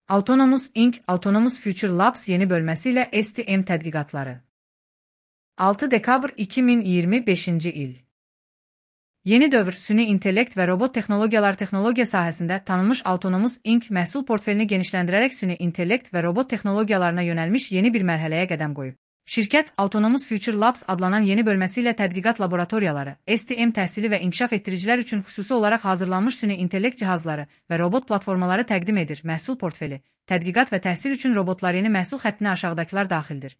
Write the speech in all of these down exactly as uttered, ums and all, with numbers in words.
Autonomous Inc Autonomous Future Labs yeni bölmesiyle S T M tədqiqatları. altı dekabr iki min iyirmi beşinci il. Yeni dövr süni intellekt və robot texnologiyalar texnologiya sahəsində tanınmış Autonomous Inc məhsul portfelini genişləndirərək süni intellekt və robot texnologiyalarına yönəlmiş yeni bir mərhələyə qədəm qoyub. Şirkət, Autonomous Future Labs adlanan yeni bölməsi ilə tədqiqat laboratoriyaları, S T M təhsili və inkişaf etdiricilər üçün xüsusi olaraq hazırlanmış süni intellekt cihazları və robot platformaları təqdim edir. Məhsul portfeli, tədqiqat və təhsil üçün robotlar yeni məhsul xəttinə aşağıdakılar daxildir.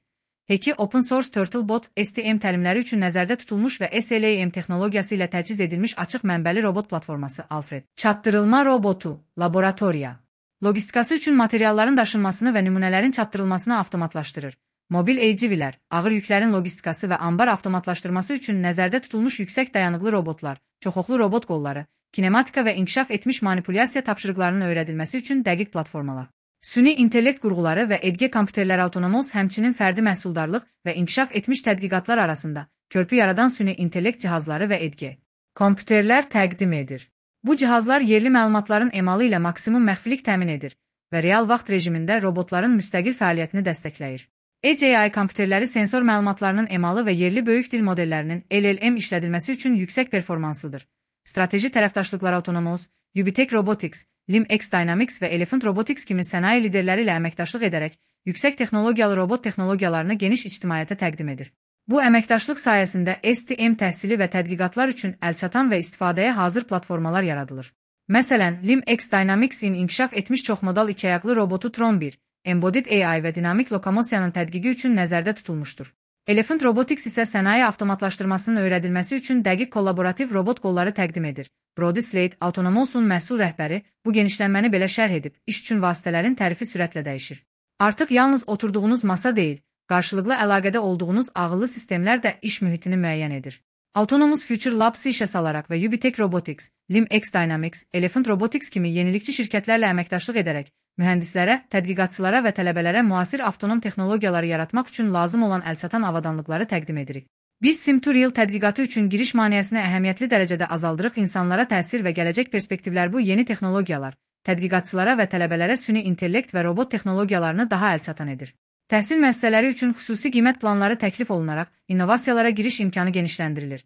Heki Open Source Turtlebot, S T M təlimləri üçün nəzərdə tutulmuş və S L A M texnologiyası ilə təchiz edilmiş açıq mənbəli robot platforması Alfred. Çatdırılma robotu, laboratoriya. Logistikası üçün materialların daşınmasını və nümunələrin çatdırılmasını avtomatlaşdırır. Mobil A G V'lər, ağır yüklərin logistikası və ambar avtomatlaşdırması üçün nəzərdə tutulmuş yüksək dayanıqlı robotlar, çoxoxlu robot qolları, kinematika və inkişaf etmiş manipulyasiya tapşırıqlarının öyrədilməsi üçün dəqiq platformalar. Süni intellekt qurğuları və edge kompüterləri Autonomous həmçinin fərdi məhsuldarlıq və inkişaf etmiş tədqiqatlar arasında körpü yaradan süni intellekt cihazları və edge kompüterlər təqdim edir. Bu cihazlar yerli məlumatların emalı ilə maksimum məxfilik təmin edir və real vaxt rejimində robotların müstəqil fəaliyyətini dəstəkləyir. Edge A I kompüterləri sensor məlumatlarının emalı və yerli böyük dil modellərinin L L M işlədilməsi üçün yüksək performanslıdır. Strateji tərəfdaşlıqlar Autonomous, Ubitek Robotics, LimX Dynamics və Elephant Robotics kimi sənaye liderləri ilə əməkdaşlıq edərək yüksək texnologiyalı robot texnologiyalarını geniş ictimaiyyətə təqdim edir. Bu əməkdaşlıq sayəsində S T M təhsili və tədqiqatlar üçün əlçatan və istifadəyə hazır platformalar yaradılır. Məsələn, LimX Dynamics-in inkişaf etmiş çoxmodal ikiayaqlı robotu Tron bir, Embodied A I və dinamik lokomosiyanın tədqiqi üçün nəzərdə tutulmuşdur. Elephant Robotics isə sənaye avtomatlaşdırmasının öyrədilməsi üçün dəqiq kollaborativ robot qolları təqdim edir. Brody Slade, Autonomous'un məhsul rəhbəri, bu genişlənməni belə şərh edib, iş üçün vasitələrin tərifi sürətlə dəyişir. Artıq yalnız oturduğunuz masa deyil, qarşılıqlı əlaqədə olduğunuz ağıllı sistemlər də iş mühitini müəyyən edir. Autonomous Future Labs-ı işə salaraq və Ubitek Robotics, LimX Dynamics, Elephant Robotics kimi yenilikçi şirkətlərlə əməkdaşlıq edərək, mühəndislərə, tədqiqatçılara və tələbələrə müasir avtonom texnologiyaları yaratmaq üçün lazım olan əlçatan avadanlıqları təqdim edirik. Biz Sim-to-Real tədqiqatı üçün giriş maneəsini əhəmiyyətli dərəcədə azaldırıq. İnsanlara təsir və gələcək perspektivlər bu yeni texnologiyalar, tədqiqatçılara və tələbələrə süni intellekt və robot texnologiyalarını daha əlçatan edir. Təhsil müəssisələri üçün xüsusi qiymət planları təklif olunaraq, innovasiyalara giriş imkanı genişləndirilir.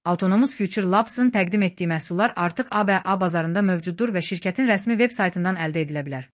Autonomous Future Labs-ın təqdim etdiyi məhsullar artıq A B A bazarında mövcuddur və şirkətin rəsmi veb saytından əldə edilə bilər.